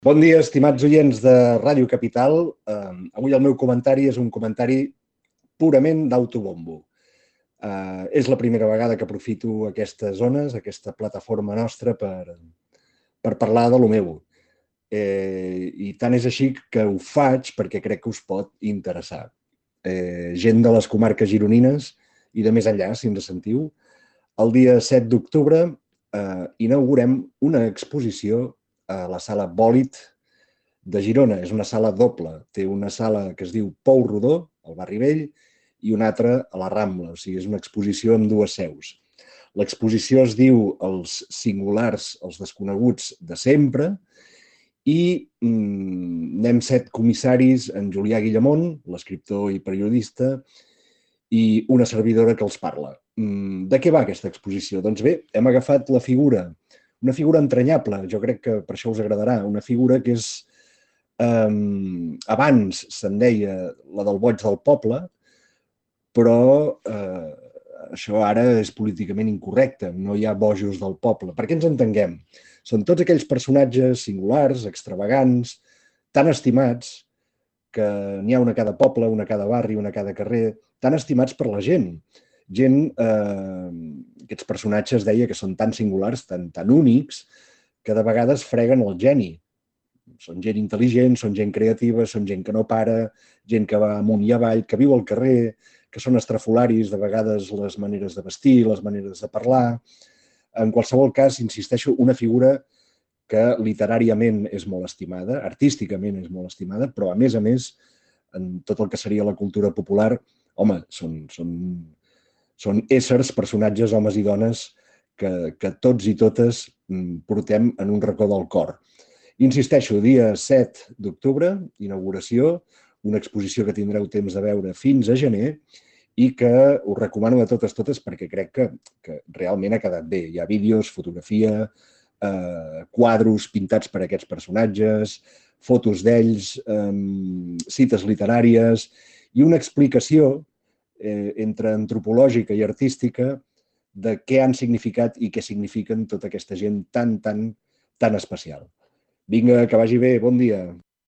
Bon dia, estimats oients de Ràdio Capital. Avui el meu comentari és un comentari purament d'autobombo. És la primera vegada que aprofito aquestes zones, aquesta plataforma nostra, per parlar de lo meu. I tant és així que ho faig perquè crec que us pot interessar. Gent de les comarques gironines i de més enllà, si ens sentiu, el dia 7 d'octubre inaugurem una exposició a la sala Bòlit de Girona. És una sala doble. Té una sala que es diu Pou Rodó, al barri Vell, i una altra a la Rambla. O sigui, és una exposició amb dues seus. L'exposició es diu Els singulars, els desconeguts de sempre, i anem 7 comissaris, en Julià Guillamont, l'escriptor i periodista, i una servidora que els parla. De què va aquesta exposició? Doncs bé, hem agafat la figura, una figura entranyable, jo crec que per això us agradarà, una figura que és, abans se'n deia la del boig del poble, però això ara és políticament incorrecte, no hi ha bojos del poble. Per què ens entenguem? Són tots aquells personatges singulars, extravagants, tan estimats, que n'hi ha una a cada poble, una a cada barri, una a cada carrer, tan estimats per la gent. Aquests personatges deia que són tan singulars, tan únics, que de vegades freguen el geni. Són gent intel·ligent, són gent creativa, són gent que no para, gent que va amunt i avall, que viu al carrer, que són estrafolaris, de vegades les maneres de vestir, les maneres de parlar. En qualsevol cas, insisteixo, una figura que literàriament és molt estimada, artísticament és molt estimada, però a més, en tot el que seria la cultura popular, home, són éssers, personatges, homes i dones, que tots i totes portem en un racó del cor. Insisteixo, dia 7 d'octubre, inauguració, una exposició que tindreu temps de veure fins a gener i que us recomano a totes perquè crec que realment ha quedat bé. Hi ha vídeos, fotografia, quadros pintats per aquests personatges, fotos d'ells, cites literàries i una explicació entre antropològica i artística de què han significat i què signifiquen tota aquesta gent tan especial. Vinga, que vagi bé, bon dia.